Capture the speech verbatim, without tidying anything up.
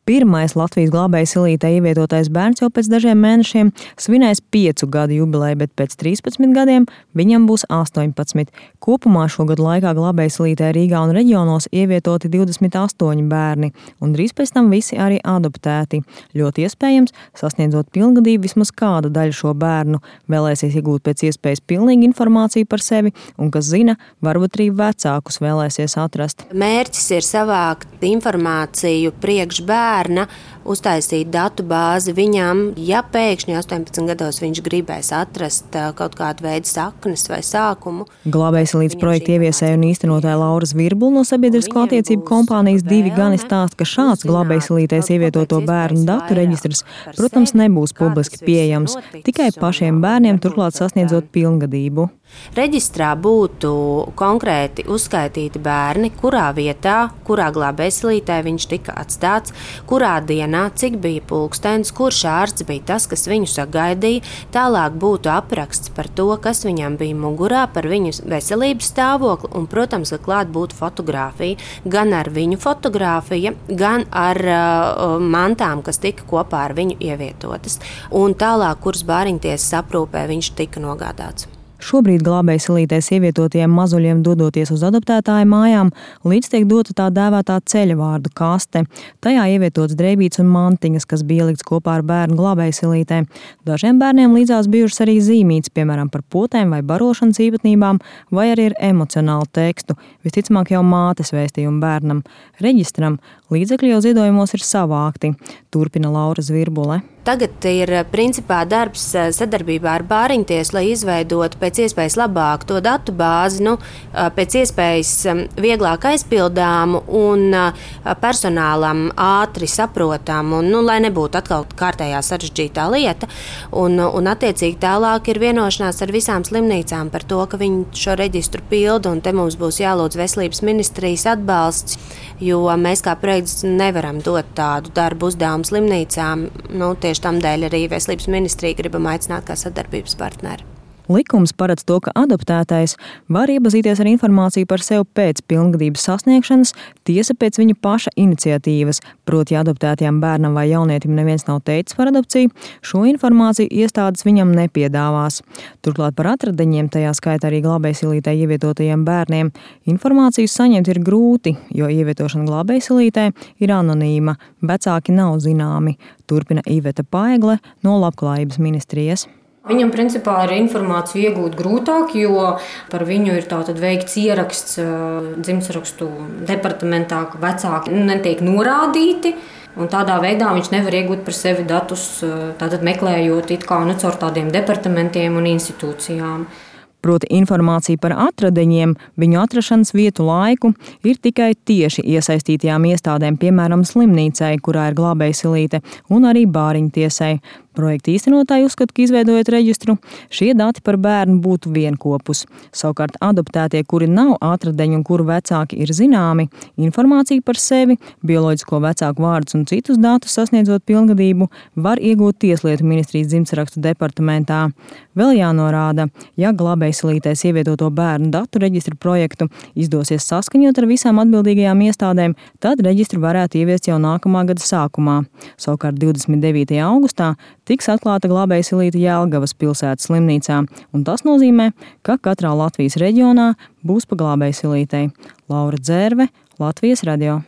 Pirmais Latvijas glābēja silītē ievietotais bērns jau pēc dažiem mēnešiem svinēs piecu gadu jubileju, bet pēc trīspadsmit gadiem viņam būs astoņpadsmit. Kopumā šogad laikā glābēja silītē Rīgā un reģionos ievietoti divdesmit astoņi bērni, un drīz pēc tam visi arī adoptēti. Ļoti iespējams, sasniedzot pilngadību, vismaz kāda daļa šo bērnu vēlēsies iegūt pēc iespējas pilnīgu informāciju par sevi, un, kas zina, varbūt arī vecākus vēlēsies atrast. Mērķis ir savākt informāciju priekš bērnu, bērna, uztaisīt datu bāzi viņam, ja pēkšņi astoņpadsmit gados viņš gribēs atrast kaut kādu veidu saknes vai sākumu. Glābēja silītes projekta ieviesēja un īstenotāja Laura Zvirbula no sabiedrisko attiecību kompānijas Divi Gani stāsta, ka šāds glābēja silītēs ievietoto bērnu datu reģistrs, protams, nebūs publiski pieejams, tikai pašiem bērniem, turklāt sasniedzot pilngadību. Reģistrā būtu konkrēti uzskaitīti bērni, kurā vietā, kurā glābēja silītē viņš tika atstāts, kurā dienā, cik bija pulkstenis, kurš ārsts bija tas, kas viņu sagaidīja. Tālāk būtu apraksts par to, kas viņam bija mugurā, par viņu veselības stāvokli, un, protams, ka klāt būtu fotogrāfija, gan ar viņu fotogrāfija, gan ar uh, mantām, kas tika kopā ar viņu ievietotas. Un tālāk, kuras bāriņtiesas aprūpē viņš tika nogādāts. Šobrīd glābēja silītēs ievietotiem mazuļiem dodoties uz adoptētāju mājām, līdz tiek dota tā dēvētā ceļvārdu kaste. Tajā ievietots drēbītes un mantiņas, kas bija ielikts kopā ar bērnu glābēja silītē. Dažiem bērniem līdzās bijušas arī zīmītes, piemēram, par potēm vai barošanas īpatnībām, vai arī ar emocionālu tekstu, visticamāk jau mātes vēstījumu bērnam. Reģistram līdzekļi jau ziedojumos ir savākti, turpina Laura Zvirbule. Tagad ir principā darbs sadarbībā ar bāriņtiesu, lai izveidotu pēc iespējas labāk to datu bāzi, nu, pēc iespējas vieglāk aizpildāmu un personālam ātri saprotamu, un, nu, lai nebūtu atkal kārtējā sarežģītā lieta. Un, un attiecīgi tālāk ir vienošanās ar visām slimnīcām par to, ka viņi šo reģistru pilda, un te mums būs jālūdz veselības ministrijas atbalsts, jo mēs kā projekts nevaram dot tādu darbu uzdevumu slimnīcām. Nu, tieši tamdēļ arī veselības ministrija gribam aicināt kā sadarbības partneri. Likums paredz to, ka adoptētais var iepazīties ar informāciju par sevi pēc pilngadības sasniegšanas, tiesa pēc viņa paša iniciatīvas, proti, ja adoptētajam bērnam vai jaunietim neviens nav teicis par adopciju, šo informāciju iestādes viņam nepiedāvās. Turklāt par atradiņiem, tajā skaitā arī glābēja silītē ievietotajiem bērniem, informāciju saņemt ir grūti, jo ievietošana glābēja silītē ir anonīma, vecāki nav zināmi, turpina Iveta Paegle no Labklājības ministrijas. Viņam principā ir informāciju iegūt grūtāk, jo par viņu ir tātad veikts ieraksts dzimstrakstu departamentā, ka vecāki netiek norādīti, un tādā veidā viņš nevar iegūt par sevi datus, tātad meklējot it kā nu caur tādiem departamentiem un institūcijām. Proti informācija par atradiņiem, viņu atrašanas vietu, laiku ir tikai tieši iesaistītajām iestādēm, piemēram, slimnīcai, kurā ir glābēja silīte, un arī bāriņtiesai. Projekta īstenotāji uzskata, ka izveidojot reģistru, šie dati par bērnu būtu vienkopus. Savukārt adoptētie, kuri nav atradeņi un kuru vecāki ir zināmi, informāciju par sevi, bioloģisko vecāku vārdus un citus datus sasniedzot pilngadību, var iegūt Tieslietu ministrijas dzimstrakstu departamentā. Vēl jānorāda, ja glābēja silītēs ievietoto bērnu datu reģistru projektu izdosies saskaņot ar visām atbildīgajām iestādēm, tad reģistru varētu ieviest jau nākamā gada sākumā. Savukārt divdesmit devītajā augustā tiks atklāta glābēja silīte Jelgavas pilsētas slimnīcā, un tas nozīmē, ka katrā Latvijas reģionā būs pa glābēja silītei. Laura Dzērve, Latvijas radio.